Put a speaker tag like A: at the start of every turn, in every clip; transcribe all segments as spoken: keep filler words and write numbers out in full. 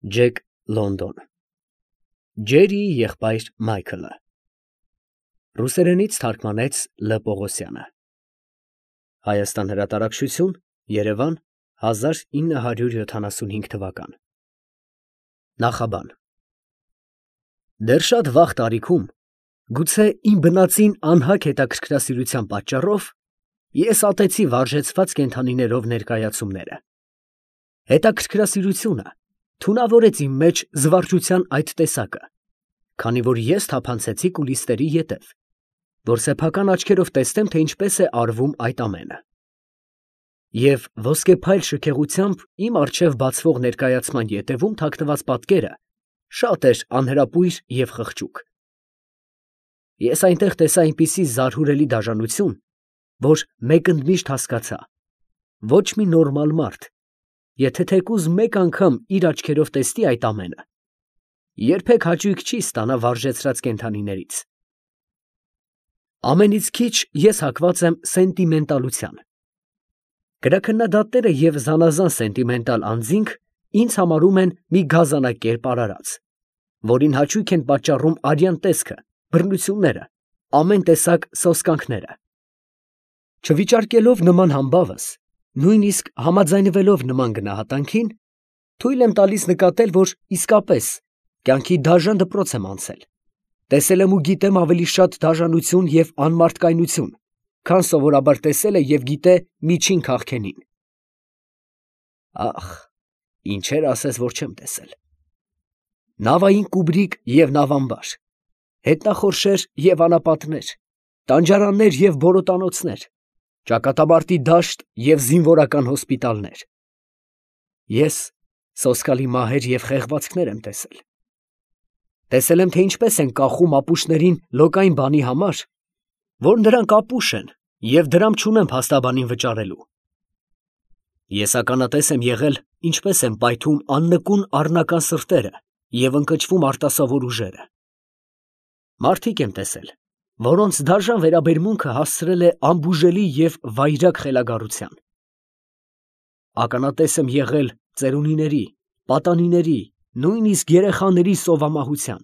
A: Ջեք Լոնդոն Ջերիի եղբայր Մայքլը Ռուսերենից թարգմանեց Լ. Պողոսյանը Հայաստան հրատարակչություն Երևան հազար ինը հարյուր յոթանասունհինգ թվական Նախաբան Դեռ շատ վաղ տարիքում, գուցե իմ բնածին անհագ հետաքրքրասիրության պատճառով, ես ատեցի վարժեցված կենդանիներով ներկայացումները։ Հետաքրքրասիրությունը թունավորեց իմ մեջ զվարճության այդ տեսակը, քանի որ ես թափանցեցի կուլիսների ետև, որ սեփական աչքերով տեսնեմ, թե ինչպես է արվում այդ ամենը։ Եվ ոսկեփայլ շքեղությամբ իմ առջև բացվող ներկայացման ետևում թաքնված պատկերը շատ էր անհրապույր և խղճուկ։ Ես այնտեղ տեսա այնպիսի զարհուրելի դաժանություն, որ մեկընդմիշտ հասկացա. ոչ մի նորմալ մարդ, եթե թեկուզ մեկ անգամ իր աչքերով տեսնի այդ ամենը, երբեք հաճույք չի ստանա վարժեցրած կենդանիներից։ Ամենից քիչ ես հակված եմ սենտիմենտալության։ Գրաքննադատները և զանազան սենտիմենտալ անձինք ինձ համարում են մի գազանակերպ արարած, որին հաճույք են պատճառում արյան տեսքը, բռնությունները, ամեն տեսակ սոսկանքները։ Չվիճարկելով նման համբավս, նույնիսկ համաձայնվելով նման գնահատանքին, թույլ եմ տալիս նկատել, որ իսկապես կյանքի դաժան դպրոց եմ անցել, տեսել եմ ու գիտեմ ավելի շատ դաժանություն և անմարդկայնություն, քան սովորաբար տեսել է և գիտե միջին քաղքենին։ Ախ, ինչեր ասես, որ չեմ տեսել. նավային կուբրիկ և նավամբար, հետնախորշեր և անապատներ, տանջարաններ և բորոտանոցներ, ճակատամարտի դաշտ և զինվորական հոսպիտալներ։ Ես սոսկալի մահեր և խեղվածքներ եմ տեսել։ Տեսել եմ, թե ինչպես են կախում ապուշներին լոկային բանի համար, որ նրանք ապուշ են և դրամ չունեն փաստաբանին վճարելու։ Ես ականատես եմ եղել, ինչպես են պայթում աննկուն առնական սրտերը և ընկճվում արտասովոր ուժերը։ Մարդիկ եմ տեսել, որոնց դաժան վերաբերմունքը հասցրել է անբուժելի և վայրագ խելագարության։ Ականատես եմ եղել ծերունիների, պատանիների, նույնիսկ երեխաների սովամահության։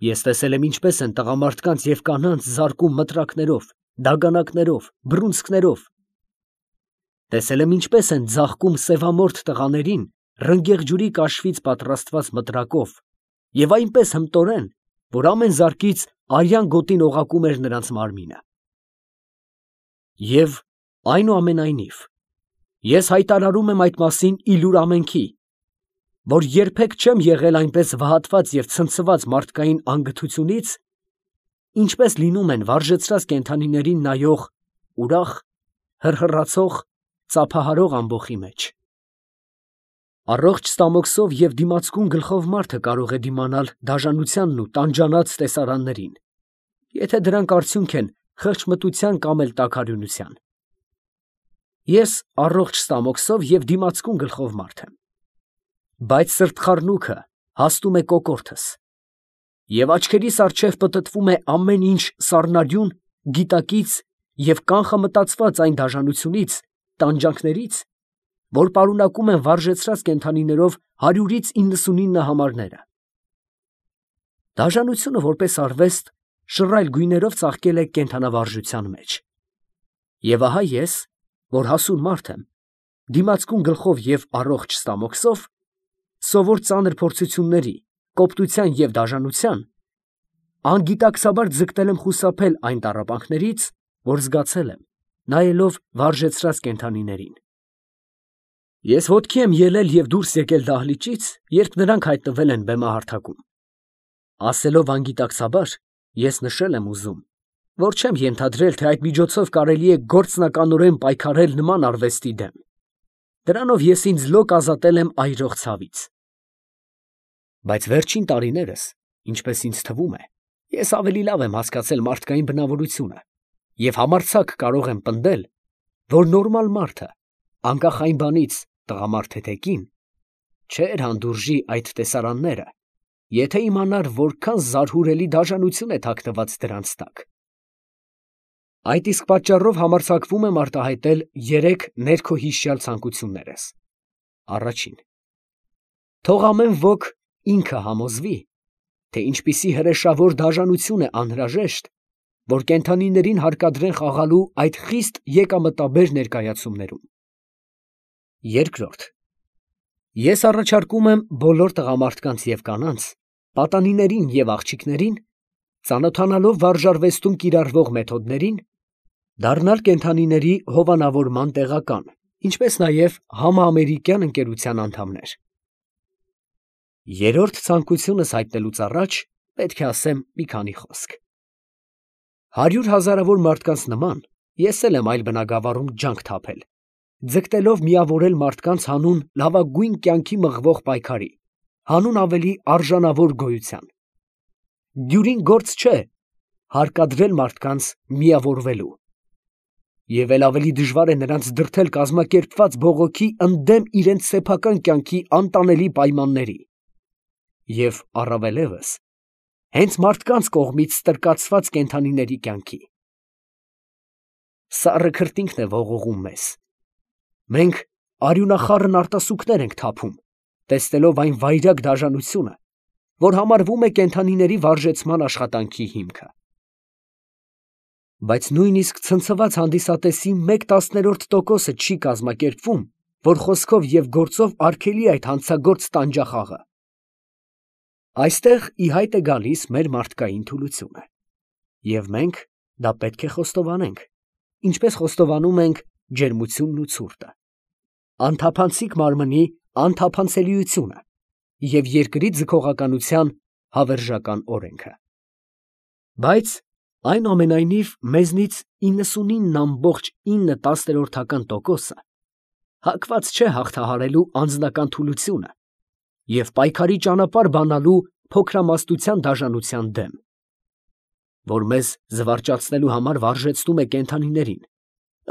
A: Ես տեսել եմ, ինչպես են տղամարդկանց և կանանց զարկում մտրակներով, դագանակներով, բռունցքներով։ Տեսել եմ, ինչպես են ձաղկում սևամորթ տղաներին ռնգեղջյուրի կաշվից պատրաստված մտրակով և այնպես հմտորեն, որ ամեն զարկից արյան գոտին օղակում էր նրանց մարմինը։ Եվ այնուամենայնիվ, ես հայտարարում եմ այդ մասին ի լուր ամենքի, որ երբեք չեմ եղել այնպես վհատված և ցնցված մարդկային անգթությունից, ինչպես լինում են վարժեցրած կենդանիներին նայող ուրախ, հռհռացող, ծափահարող ամբոխի մեջ։ Առողջ ստամոքսով և դիմացկուն գլխով մարդը կարող է դիմանալ դաժանությանն ու տանջանած տեսարաններին, եթե դրանք արդյունք են խղճմտության կամ էլ տաքարյունության։ Ես առողջ ստամոքսով և դիմացկուն գլխով մարդ եմ, բայց սրտխառնուքը հասնում է կոկորդս, և աչքերիս առջև պտտվում է ամեն ինչ սառնարյուն, գիտակից և կանխամտածված այն դաժանությունից, տանջանքներից, որ պարունակում են վարժեցրած կենդանիներով հարյուրից իննսունինը համարները։ Դաժանությունը որպես արվեստ շռայլ գույներով ծաղկել է կենդանավարժության մեջ։ Եվ ահա ես, որ հասուն մարդ եմ, դիմացկուն գլխով և առողջ ստամոքսով, սովոր ծանր փորձությունների, կոպտության և դաժանության, անգիտակցաբար ձգտել եմ խուսափել այն տառապանքներից, որ զգացել եմ, նայելով վարժեցրած կենդանիներին։ Ես ոտքի եմ ելել և դուրս եկել դահլիճից, երբ նրանք հայտնվել են բեմահարթակում։ Ասելով անգիտակցաբար, ես նշել եմ ուզում, որ չեմ ենթադրել, թե այդ միջոցով կարելի է գործնականորեն պայքարել նման արվեստի դեմ։ Դրանով ես ինձ լոկ ազատել եմ այրող ցավից։ Բայց վերջին տարիներս, ինչպես ինձ թվում է, ես ավելի լավ եմ հասկացել մարդկային բնավորությունը և համարձակ կարող եմ պնդել, որ նորմալ մարդը, անկախ այն բանից, տղամարդ թե կին, չէր հանդուրժի այդ տեսարանները, եթե իմանար, որքան զարհուրելի դաժանություն է թաքնված դրանց տակ։ Այդ իսկ պատճառով համարձակվում եմ արտահայտել երեք ներքոհիշյալ ցանկություններս. Առաջին, Թող ամեն ոք ինքը համոզվի, թե ինչպիսի հրեշավոր դաժանություն է անհրաժեշտ, որ կենդանիներին հարկադրեն խաղալու այդ խիստ եկամտաբեր ներկայացումներում։ Երկրորդ, ես առաջարկում եմ բոլոր տղամարդկանց և կանանց, պատանիներին և աղջիկներին, ծանոթանալով վարժարվեստում կիրառվող մեթոդներին, դառնալ կենդանիների հովանավորման տեղական, ինչպես նաև համաամերիկյան ընկերության անդամներ։ Երրորդ ցանկությունս հայտնելուց առաջ պետք է ասեմ մի քանի խոսք։ Հարյուր հազարավոր մարդկանց նման ես էլ եմ այլ բնագավառում ջանք թափել, ձգտելով միավորել մարդկանց հանուն լավագույն կյանքի մղվող պայքարի, հանուն ավելի արժանավոր գոյության։ Դյուրին գործ չէ հարկադրել մարդկանց միավորվելու, և էլ ավելի դժվար է նրանց դրդել կազմակերպված բողոքի ընդդեմ իրենց սեփական կյանքի անտանելի պայմանների, և առավելևս հենց մարդկանց կողմից ստրկացված կենդանիների կյանքի։ Սառը քրտինքն է ողողում մեզ։ Մենք արյունախառն արտասուքներ ենք թափում, տեսնելով այն վայրագ դաժանությունը, որ համարվում է կենդանիների վարժեցման աշխատանքի հիմքը։ Բայց նույնիսկ ցնցված հանդիսատեսի մեկ տասներորդ տոկոսը չի կազմակերպվում, որ խոսքով և գործով արգելի այդ հանցագործ տանջախաղը։ Այստեղ ի հայտ է գալիս մեր մարդկային թուլությունը, և մենք դա պետք է խոստովանենք, ինչպես խոստովանում ենք ջերմությունն ու ցուրտը, անթափանցիկ մարմնի անթափանցելիությունը և երկրի ձգողականության հավերժական օրենքը։ Բայց այնուամենայնիվ մեզնից իննսունինը ամբողջ ինը տասներորդական տոկոսը հակված չէ հաղթահարելու անձնական թուլությունը և պայքարի ճանապարհ բանալու փոքրամասնության դաժանության դեմ, որ մեզ զվարճացնելու համար վարժեցնում է կենդանիներին,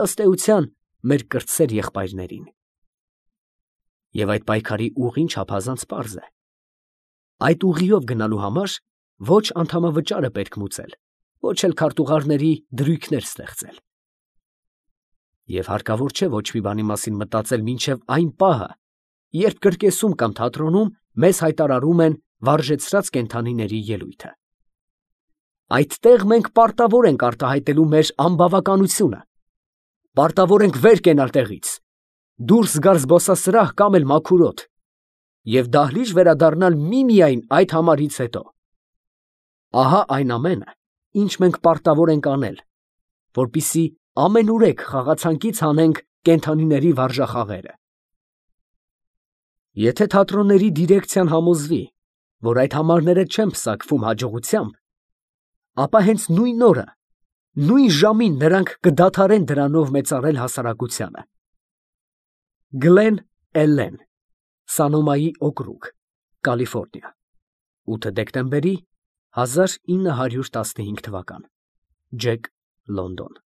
A: ըստ էության մեր կրտսեր եղբայրներին։ Եվ այդ պայքարի ուղին չափազանց պարզ է. այդ ուղիով գնալու համար ոչ անդամավճար է պետք մուծել, ոչ էլ քարտուղարների դրույքներ ստեղծել։ Եվ հարկավոր չէ ոչ մի բանի մասին մտածել մինչև այն պահը, երբ կրկեսում կամ թատրոնում մեզ հայտարարում են վարժեցրած կենդանիների ելույթը։ Այդտեղ մենք պարտավոր ենք արտահայտելու մեր անբավականությունը, պարտավոր ենք վեր կենալ տեղից, դուրս գալ զբոսասրահ կամ էլ մաքուր օդ և դահլիճ վերադառնալ միմիայն այդ համարից հետո։ Ահա այն ամենը, ինչ մենք պարտավոր ենք անել, որպեսզի ամենուրեք խաղացանկից հանենք կենդանիների վարժախաղերը։ Եթե թատրոնների դիրեկցիան համոզվի, որ այդ համարները չեն պսակվում հաջողությամբ, ապա հենց նույն օրը, նույն ժամին նրանք կդադարեն դրանով մեծարել հասարակությանը։ Գլեն Էլլեն, Սանոմայի օկրուգ, Կալիֆոռնիա, ութ դեկտեմբերի հազար ինը հարյուր տասնհինգ թվական, Ջեք, Լոնդոն։